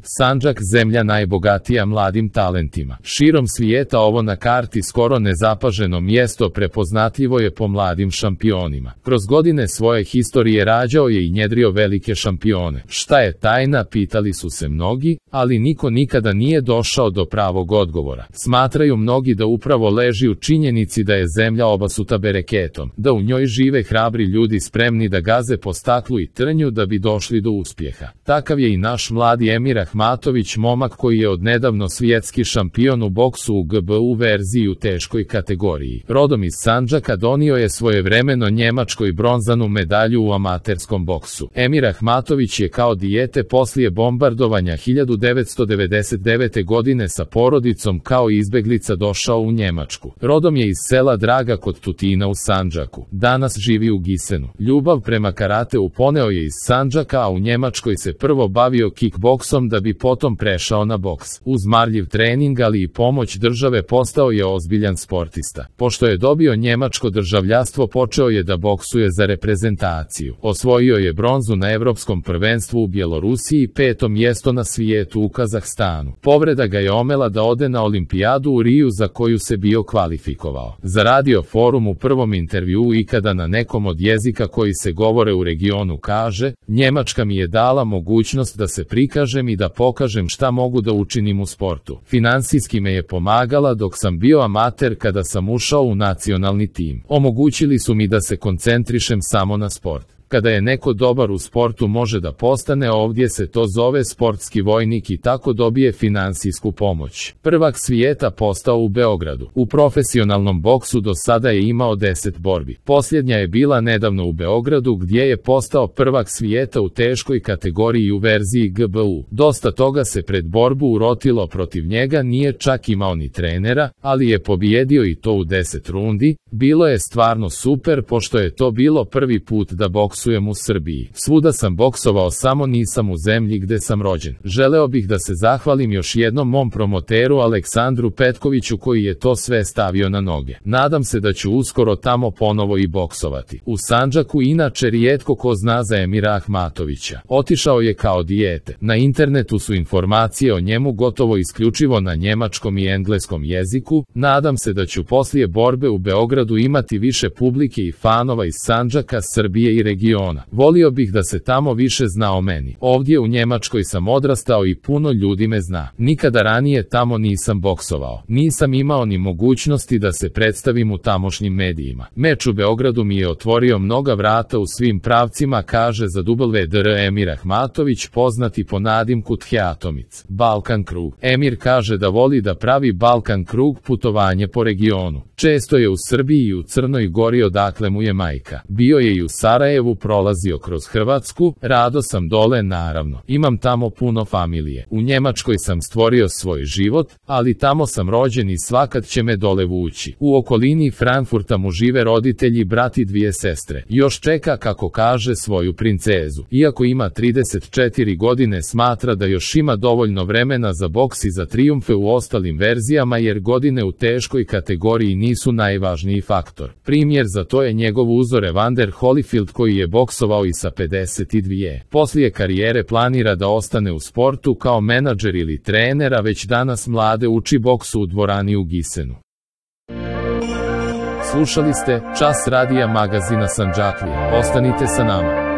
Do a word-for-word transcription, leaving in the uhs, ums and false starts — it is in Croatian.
Sandžak zemlja najbogatija mladim talentima. Širom svijeta ovo na karti skoro nezapaženo mjesto prepoznatljivo je po mladim šampionima. Kroz godine svoje historije rađao je i njedrio velike šampione. Šta je tajna, pitali su se mnogi, ali niko nikada nije došao do pravog odgovora. Smatraju mnogi da upravo leži u činjenici da je zemlja obasuta bereketom, da u njoj žive hrabri ljudi spremni da gaze po staklu i trnju da bi došli do uspjeha. Takav je i naš mladi Emir Ahmatović, momak koji je odnedavno svjetski šampion u boksu u G B U verziji u teškoj kategoriji. Rodom iz Sandžaka, donio je svojevremeno Njemačkoj bronzanu medalju u amaterskom boksu. Emir Ahmatović je kao dijete poslije bombardovanja hiljadu devetsto devedeset devete. godine sa porodicom kao izbeglica došao u Njemačku. Rodom je iz sela Draga kod Tutina u Sandžaku. Danas živi u Gisenu. Ljubav prema karateu poneo je iz Sandžaka, a u Njemačkoj se prvo bavio kickboksom da bi potom prešao na boks. Uz marljiv trening, ali i pomoć države, postao je ozbiljan sportista. Pošto je dobio njemačko državljanstvo, počeo je da boksuje za reprezentaciju. Osvojio je bronzu na Evropskom prvenstvu u Bjelorusiji i peto mjesto na svijetu u Kazahstanu. Povreda ga je omela da ode na olimpijadu u Riju, za koju se bio kvalifikovao. Za Radio Forum u prvom intervjuu ikada na nekom od jezika koji se govore u regionu kaže: Njemačka mi je dala mogućnost da se prikažem i da pokažem šta mogu da učinim u sportu. Finansijski me je pomagala dok sam bio amater. Kada sam ušao u nacionalni tim, omogućili su mi da se koncentrišem samo na sport. Kada je neko dobar u sportu, može da postane, ovdje se to zove sportski vojnik, i tako dobije finansijsku pomoć. Prvak svijeta postao u Beogradu. U profesionalnom boksu do sada je imao deset borbi. Posljednja je bila nedavno u Beogradu, gdje je postao prvak svijeta u teškoj kategoriji u verziji G B U. Dosta toga se pred borbu urotilo protiv njega, nije čak imao ni trenera, ali je pobijedio i to u deset rundi. Bilo je stvarno super, pošto je to bilo prvi put da boksujem u Srbiji. Svuda sam boksovao, samo nisam u zemlji gde sam rođen. Želeo bih da se zahvalim još jednom mom promoteru Aleksandru Petkoviću koji je to sve stavio na noge. Nadam se da ću uskoro tamo ponovo i boksovati. U Sandžaku inače rijetko ko zna za Emira Ahmatovića. Otišao je kao dijete. Na internetu su informacije o njemu gotovo isključivo na njemačkom i engleskom jeziku. Nadam se da ću poslije borbe u Beogradu imati više publike i fanova iz Sandžaka, Srbije i regiona. Volio bih da se tamo više zna o meni. Ovdje u Njemačkoj sam odrastao i puno ljudi me zna. Nikada ranije tamo nisam boksovao. Nisam imao ni mogućnosti da se predstavim u tamošnjim medijima. Meč u Beogradu mi je otvorio mnoga vrata u svim pravcima, kaže za W D R Emir Ahmatović, poznati po nadimku Tjatomic. Balkan krug. Emir kaže da voli da pravi Balkan krug, putovanje po regionu. Često je u Srbiji i u Crnoj Gori, odakle mu je majka. Bio je i u Sarajevu, prolazio kroz Hrvatsku, rado sam dole naravno. Imam tamo puno familije. U Njemačkoj sam stvorio svoj život, ali tamo sam rođen i svakad će me dole vući. U okolini Frankfurta mu žive roditelji, brat i dvije sestre. Još čeka, kako kaže, svoju princezu. Iako ima trideset četiri godine, smatra da još ima dovoljno vremena za boks i za trijumfe u ostalim verzijama, jer godine u teškoj kategoriji nisu najvažniji faktor. Primjer za to je njegov uzor Evander Holyfield, koji je boksovao i sa pedeset dvije. Poslije karijere planira da ostane u sportu kao menadžer ili trener, a već danas mlade uči boksu u dvorani u Gisenu. Slušali ste Čas radija magazina Sandžaklija. Ostanite sa nama.